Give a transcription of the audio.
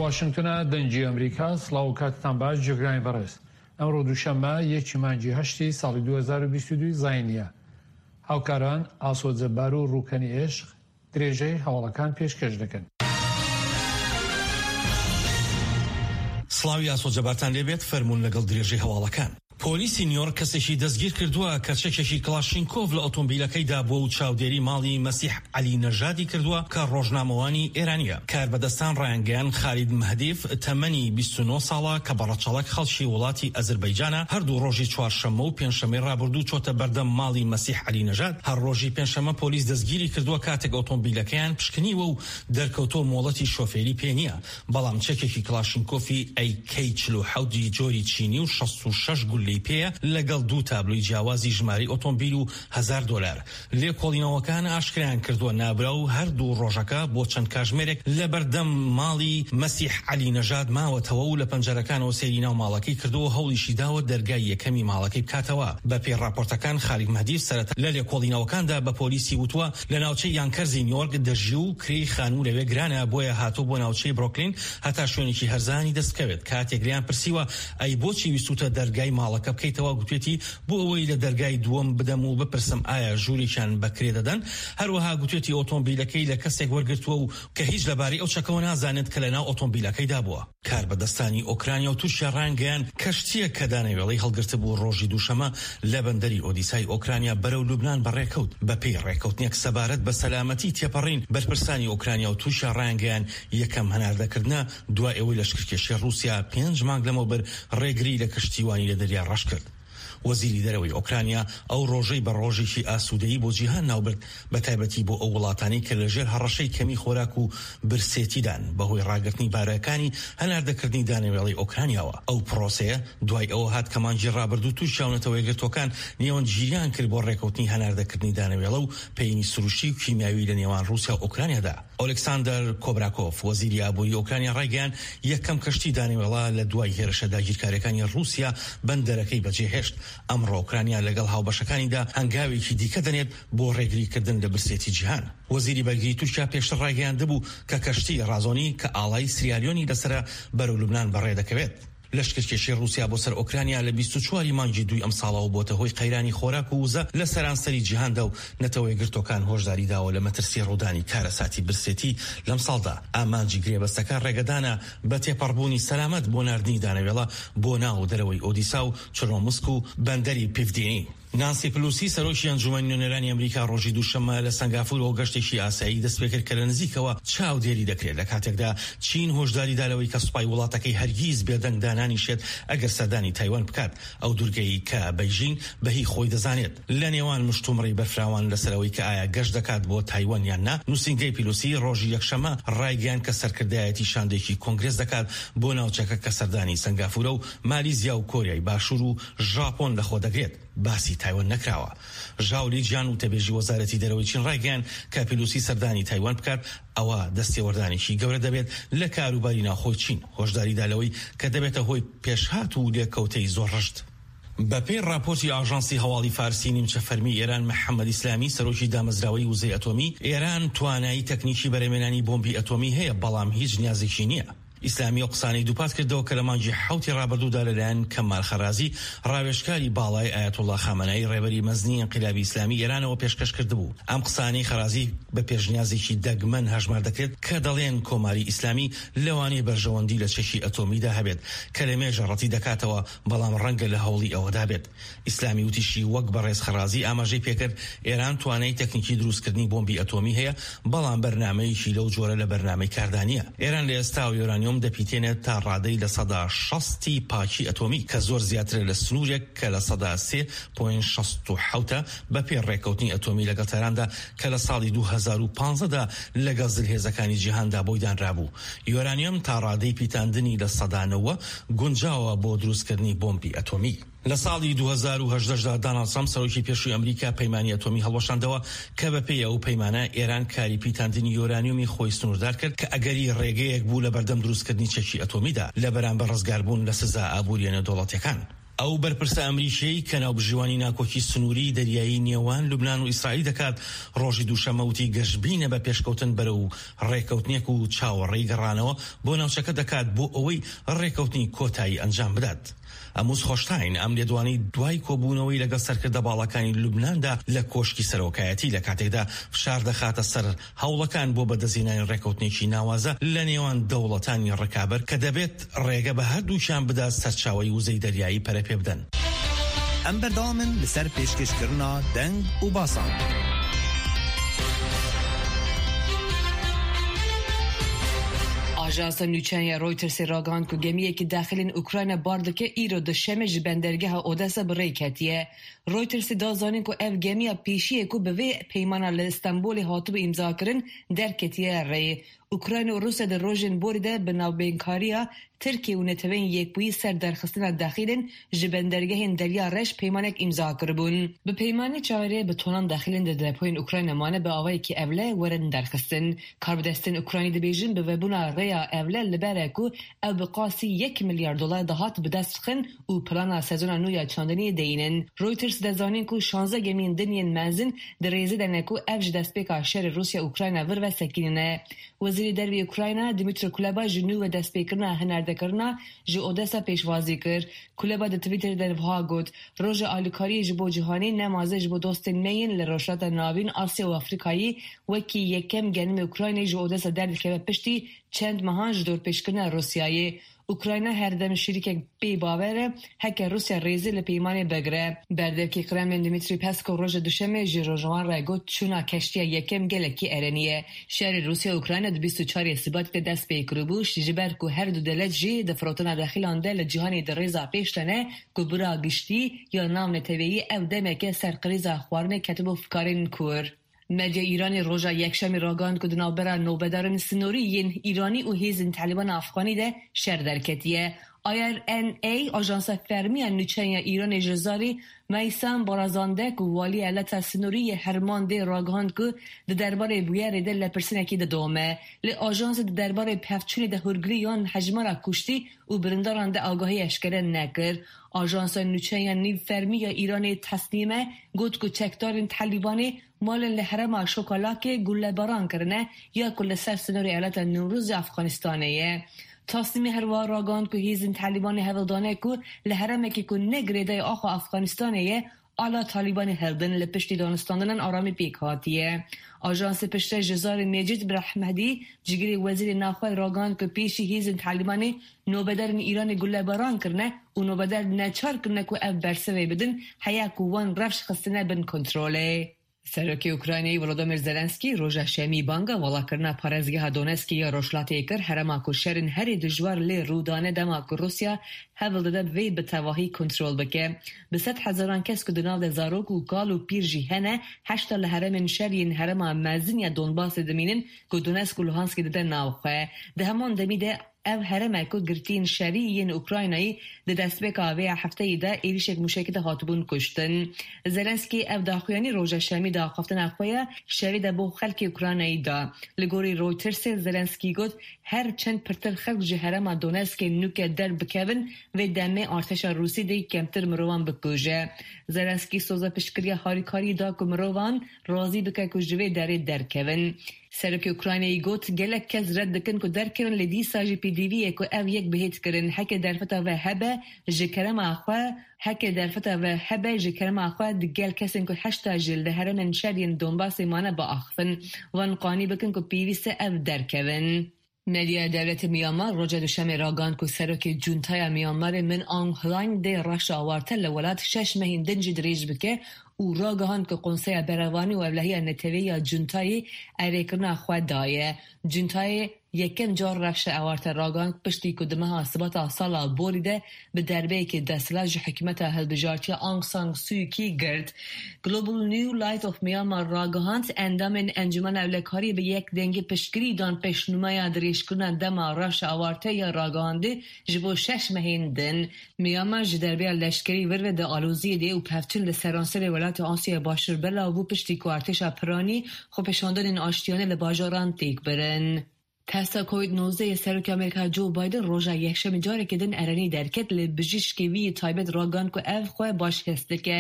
واشنگتنە دەنگی ئەمریکا سڵاو و کاتتان باش جێگرانی بەڕێز ئەمڕۆ دووشەممە یەکی مانگی هەشتی ساڵی 2022 زاینیە هاوکاران ئاسۆ جەبار و ڕووکەنی ئێشق درێژەی هەواڵەکان پێشکەش دەکەن. سڵاوی ئاسۆ جەبارتان لێبێت فەرموون لەگەڵ درێژەی هەواڵەکان. پۆلیسی نیۆرک کەسێکی دەستگیرکردووە کە چەکێکی کڵاشینکۆف لە ئۆتۆمبیلەکەیدا بووە و چاودێری ماڵی مەسیح عەلی نەژادی کردووە کە ڕۆژنامەوانی ئێرانییە. کاربەدەستان ڕایانگەیاند خالید مەهدیف تەمەنی 29 ساڵە کە بە ڕەچەڵەک خەڵکی وڵاتی ئەزربەیجانە هەردوو ڕۆژی چوارشەممە و پێنجشەممەی ڕابردوو چۆتە بەردەم ماڵی مەسیح عەلی نەژاد. هەر ڕۆژی پێنجشەممە پۆلیس دەستگیری کردووە کاتێک ئۆتۆمبیلەکەیان پشکنیوە و دەرکەوتووە مۆڵەتی شۆفێری پێ نییە. بەڵام چەکێکی کڵاشینکۆفی ئەی کەی 47 ی جۆری چینی و 66 گوللەی پێیە لەگەڵ دوو تابلۆی جیاوازی ژمارەی ئۆتۆمبیل و هەزار دۆلار. لێکۆڵینەوەکان ئاشکرایان کردووە نابراو هەردوو ڕۆژەکە بۆ چەند کاژمێرێک لەبەردەم ماڵی مەسیح عەلی نەژاد ماوەتەوە و لە پەنجەرەکانەوە سەیری ناو ماڵەکەی کردووە و هەوڵیشی داوە دەرگای یەکەمی ماڵەکەی بکاتەوە. بەپێی ڕاپۆرتەکان خالید مەهدی سەرەتا لە لێکۆڵینەوەکاندا بە پۆلیسی وتووە لە ناوچەی یانکەرزی نیۆرک دەژی و کرێی خانوو لەوێ گرانە بۆیە هاتووە بۆ ناوچەی برۆکلین هەتا شوێنێکی هەرزانی دەست بکەوێت. کاتێک لێیان پرسیوە ئەی بۆچی ویستووتە دەرگای ماڵەکە بکەیتەوە گوتوێتی بۆ ئەوەی لە دەرگای دووەم بدەم و بپرسم ئایا ژوورێکیان بە کرێ دەدەن. هەروەها گوتوێتی ئۆتۆمبیلەکەی لە کەسێک وەرگرتووە و کە هیچ لەبارەی ئەو چەکەوە نازانێت کە لەناو ئۆتۆمبیلەکەیدا بووە. کاربەدەستانی ئۆکرانیا و تورکیا ڕایانگەیاند، کەشتییەک کە دانەوێڵەی هەڵگرتبوو ڕۆژی دووشەممە لە بەندەری ئۆدیسای ئۆکرانیا بەرەو لوبنان بەڕێکەوت. بەپێی ڕێککەوتنێک سەبارەت بە سەلامەتی تێپەڕین، بەرپرسانی ئۆکرانیا و تورکیا ڕایانگەیاند، یەکەم هەناردەکردنە دوای ئەوەی لەشکرکێشی ڕووسیا پێنج مانگ لەمەوبەر ڕێگری لە کەشتیوانی لە دەریای ڕەش کرد. وەزیری دەرەوەی ئۆکرانیا ئەو ڕۆژەی بە ڕۆژێکی ئاسوودەیی بۆ جیهان ناوبرد، بەتایبەتی بۆ ئەو وڵاتانەی کە لەژێر هەڕەشەی کەمی خۆراک و برسێتیدان بەهۆی ڕاگرتنی بارەکانی هەناردەکردنی دانەوێڵەی ئۆکرانیاوە. ئەو پرۆسەیە دوای ئەوە هات کە مانگی ڕابردوو تورکیا و نەتەوەیەکگرتووەکان نێوەندگیریان کرد بۆ ڕێکەوتنی هەناردەکردنی دانەوێڵە و پەینی سروشتی و کیمیاوی لە نێوان ڕووسیا و ئۆکرانیادا. ئۆلێکساندەر کۆبراکۆف، وەزیری ئابووری ئۆکرانیا ڕایگەیاند، یەکەم کەشتی دانەوێڵە لە دوای هێرشە داگیرکارییەکانی ڕووسیا بەندەرەکەی بەجێهێشت. ئەمڕۆ ئۆکرانیا لەگەڵ هاوبەشەکانیدا هەنگاوێکی دیکە دەنێت بۆ ڕێگریکردن لە برسێتی جیهان. وەزیری بەرگری تورکیا پێشتر ڕایگەیاندبوو کە کەشتی ڕازۆنی کە ئاڵای سریالیۆنی لەسەرە بەرەو لوبنان بەڕێدەکەوێت. لەشکرکێشی ڕووسیا بۆ سەر ئۆکرانیا لە 24 ی مانگی دووی ئەمساڵەوە بۆتە هۆی قەیرانی خۆراک و وزە لە سەرانسەری جیهاندا و نەتەوەیەکگرتووەکان هۆشداری داوە لە مەترسی ڕوودانی کارەساتی برسێتی لەمساڵدا. ئامانجی گرێبەستەکە ڕێگەدانە بە تێپەڕبوونی سەلامەت بۆ ناردنی دانەوێڵە بۆ ناو دەرەوەی ئۆدیسا و چرنۆمسک و بەندەری پیڤدینی. نانسی پلوسی سەرۆکی ئەنجومەنی نوێنەرانی ئەمریکا ڕۆژی دووشەممە لە سەنگافورەوە گەشتێکی ئاسایی دەستپێکرد کە لە نزیکەوە چاودێری دەکرێت لە کاتێکدا چین هۆشداری دا لەوەی کە سوپای وڵاتەکەی هەرگیز بێدەنگ دانانیشێت ئەگەر سەردانی تایوان بکات ئەو دورگەی کە بەیژین بە هی خۆی دەزانێت. لە نێوان مشتومڕی بەرفراوان لەسەر ئەوەی کە ئایا گەشت دەکات بۆ تایوان یان نا، نووسینگەی پیلوسی ڕۆژی یەکشەممە ڕایگەیاند کە سەرکردایەتی شاندێکی کۆنگرێس دەکات بۆ ناوچەکە کە سەردانی سەنگافورە و مالیزیا و کۆریای باشوور و ژاپۆن لەخۆدەگرێت، باسی تایوان نەکراوە. ژاو لیجیان وتەبێژی وەزارەتی دەرەوەی چین ڕایگەیاند کە پیلوسی سەردانی تایوان بکات ئەوا دەستێوەردانێکی گەورە دەبێت لە کاروباری ناوخۆی چین، هۆشداریدا لەوەی کە دەبێتە هۆی پێشهات و لێکەوتەی زۆر ڕژد. بەپێی ڕاپۆرتی ئاژانسی هەواڵی فارسی نیمچە فەرمی ئێران، محەمەد ئیسلامی سەرۆکی دامەزراوەی وزەی ئەتۆمی ئێران توانایی تەکنیکی بەرهەمێنانی بۆمبی ئەتۆمی هەیە، بەڵام هیچ نیازێکی نییە. ئیسلامی ئەو قسانەی دووپات کردەوە کە لە مانگی حەوتی ڕابردوودا لەلایەن کەمال خەرازی ڕاوێژکاری باڵای ئایەتوڵڵا خامەنەئی ڕێبەری مەزنی ئینقلابی ئیسلامی ئێرانەوە پێشکەش کردبوو. ئەم قسانەی خەرازی بە پێشنیازێکی دەگمەن هەژمار دەکرێت کە دەڵێن کۆماری ئیسلامی لەوانەیە بەرژەوەندی لە چەکی ئەتۆمیدا هەبێت کە لەمێژە ڕەتی دەکاتەوە بەڵام ڕەنگە لە هەوڵی ئەوەدا بێت. ئیسلامی وتیشی، وەک بەڕێز خەڕازی ئاماژەی پێکرد، ئێران توانای تەکنیکی دروستکردنی بۆمبی ئەتۆمی هەیە، بەڵام بەرنامەیەکی لەو جۆرە لە بەرنامەی کاردا نییە. ئێران لە ئێستاوە یۆرانیۆم دەپیتێنێت تا ڕادەی 60% ی پاکی ئەتۆمی، کە زۆر زیاترە لە سنوورێک کە 3.67% ە بەپێی ڕێککەوتنی ئەتۆمی لەگەڵ تاراندا کە لە ساڵی 2015 دا لەگەڵ زلهێزەکانی جیهاندا بۆی دانرابوو. یۆرانیۆم تا ڕادەی پیتاندنی 90% گونجاوە بۆ دروستکردنی بۆمبی ئەتۆمی. لە ساڵی 2018 دا داناڵد ترەمپ سەرۆکی پێشووی ئەمریکا پەیمانی ئەتۆمی هەڵوەشاندەوە کە بەپێی ئەو پەیمانە ئێران کاری پیتاندنی یۆرانیۆمی خۆی سنووردار کرد کە ئەگەری ڕێگەیەک بوو لەبەردەم دروستکردنی چەکی ئەتۆمیدا لە بەرامبەر ڕزگاربوون لە سزا ئابوورییە نێودەوڵەتییەکان. ئەو بەرپرسە ئەمریکییەی کە ناوبژیوانی ناکۆکی سنووری دەریایی نێوان لوبنان و ئیسرائیل دەکات، ڕۆژی دووشەممە وتی گەشبینە بە پێشکەوتن بەرەو ڕێککەوتنێک و چاوەڕێی گەڕانەوە بۆ ناوچەکە دەکات بۆ ئەوەی ڕێککەوتنی کۆتایی ئەنجام بدات. ئەموس هۆشتاین ئەم لێدوانەی دوای کۆبوونەوەی لەگەڵ سەرکردە باڵاکانی لوبناندا لە کۆشکی سەرۆکایەتی لە کاتێکدا فشار دەخاتە سەر هەوڵەکان بۆ بەدەستهێنانی ڕێککەوتنێکی ناوازە لە نێوان دەوڵەتانی ڕکابەر کە دەبێت ڕێگە بە هەردووکیان بدات سەرچاوەی وزەی دەریایی پەرەپێبدەن. ئەم بەردەوامن لەسەر پێشکێشکردنا دەنگ و باسان. ئاژانسە نوچەیان ya Reutersê ragihand ku gemiyekî daxilên Ukrayna bar dike îro duşemê ji bendergeha Odessa bi rê ketiye. Reutersê da zanîn ku ev gemiya pêşî ye ku bi vê peymana li Stenbolê hatibû îmzakirin derketiye rê. Ukrayna û Rûsya di rojên borî de bi navbeynkariya Tirkiye û Neteweyên Yekbûyî ser derxistina dexîlên ji bendergehên Derya Reş peymanek îmza kiribûn. Bi peymanê çaverê bi tonan dexîlên di depoyên Ukrayna mane bi awayekî ewle werin derxistin. Karbidestên Ukraynî dibêjin bi vebûna rêya ewle li ber e ku ew bi qasî yek milyar dolar dahat bi dest bixin û plana sezona nû ya çandiniyê deyînin. Reuters dide zanîn ku şanzdeh gemiyên din yên mezin di rêzê de ne ku ev ji destpêka şerê Rûsya-Ukrayna vir ve sekînine. Wezîrê Derve yê Ukrayna Dmytro Kuleba ji nû ve destpêkirina hinardekirina ji Odessa pêşwazî kir. Kuleba di Twitterê de wiha got, Roja alîkariyê ji bo cîhanê nemaze ji bo dostên me yên li Rojhilata Navîn, Asya û Afrîkayê wekî yekem genimê Ukraynayê ji Odessa derdikeve piştî çend mehan ji dorpêçkirina Rûsyayê. Ukrayna her dem şirîkek pê bawer e, heke Rûsya rêzê li peymanê bigire. Berdevkê Kremlin Dmitriy Peskov roja Duşemê ji rojnavan re got çûna keştiya yekem gelekî erenî ye. Şerê Rûsya û Ukrayna di 24 ê Sibatê de dest pê kiribû ji ber ku her du dewlet jî di firotina dexîlan de li cîhanê di rêza pêş de ne ku bira giştî ya navneteweyî ew demeke ser krîza xwarinê ketibû fikarên kûr. Medya Îranê roja Yekşemê ragihand ku di navbera nobedarên sinorî yên Îranî û hêzên Talîbana Efxanî de şer derketiye. IRNA, ajansa fermî ya nûçeyên ya Îranê ji zarê Meysam Barazande ku waliyê eyaleta sinorî yê Hermandê ragihand ku di derbarê bûyerê de lêpirsînekî didome. Lê ajansê di derbarê pevçûnê de hûrgilî yan hejmara kuştî û birindaran de agahî eşkere nekir. Ajansa nûçeyan nîvfermî ya Îranê Tesnîme got ku çekdarên Talîbanê malên li herêma Şokalakê gulebaran kirine ya ku li ser sinorê eyaleta Newrozê Efxanistanê ye. Tasnîmê her wiha ragihand ku hêzên Talîbanê hewl dane ku li herêmekê ku ne girêdayê axa Efxanistanê ye ala Talîbanê hildin li piştî danistandinan aramî pêk hatiye. Ajansê piştre ji zarê Mecîd Brahmedî cigirê wezîrê navxwe ragihand ku pêşî hêzên Talîbanê nobedarên Îranê gulebaran kirine û nobedar neçar kirine ku ev bersivê bidin heya ku wan rewş xistine bin kontrolê. Serokê Ukraynayê Volodymyr Zelenskiy roja Şemî banga valakirina parêzgeha Donetskê ya Rojhilatê kir, herêma ku şerên herî dijwar lê rû dane dema ku Rûsya hewl dide vê bi tevahî kontrol bike. Bi sedhezaran kes ku di nav de zarok û kal û pîr jî hene, heşta li herêmên şer yên herêma mezin ya Donbasê dimînin ku Donetsk û Luhanskê dide nav xwe. Di heman demî de ev herêm e ku girtiyên şerî yên Ukraynayî di destpêka vê hefteyê de êrîşek mûşekî de hatibûn kuştin. Zelenskiy ev daxuyanî roja Şemî di axaftina xwe ya şevê de bo xelkê Ukraynayî da. Li gorî Reutersê Zelenskiy got, Her çend pirtir xelk ji herêma Donetskê nûke derbikevin, vê demê artêşa Rûsî dê kemtir mirovan bikuje. Zelenskiy soza piştgiriya harîkariyê da ku mirovan razî bike ku ji vê derê derkevin. Serokê Ukraynayê got, Gelek kes red dikin ku derkevin lê dîsa jî pêdivî ye ku ev yek bihêt kirin. Heke derfeta ve hebe ji kerema xwe heke derfeta ve hebe ji kerema xwe di gel kesên ku heşta ji li herêmên şer yên Donbasê mane biaxivin. Wan qanî bikin ku pêwîst e ev derkevin. Medyaya dewletê Myanmar roja Duşemê ragihand ku Serokê Cuntaya Myanmarê Min Aung Hlaing dê rewşa awarte li welat şeş mehên din jî dirêj bike û ragihand ku Konseya Berevanî û Ewlehiya Neteweyî ya Cuntayê erêkirina xwe daye. Cuntayê yekem car rewşa awarte ragihand piştî ku di meha Sibata sala borî de bi derbeyekê desthilat ji hikûmeta hilbijartiya Aung San Suu Kyi girt. Global New Light of Myanmar ragihand, endamên Encûmena Ewlekariyê bi yek dengî piştgirî dan pêşnûmeya dirêjkirina dema rewşa awarte ya ragihandî ji bo şeş mehên din. Myanmar ji derbeya leşkerî vir ve di aloziyê de û pevçûn li seranserê welatê Asyaya Başûr belav bû piştî ku artêşa piranî xwepêşandanên aştiyane li bajaran têk birin. Testa Covid 19 yê Serokê Amerîka Joe Biden roja Yekşemê careke din erenî derket lê bijîşkê wî yê taybet ragihand ku ev xwe baş hest dike.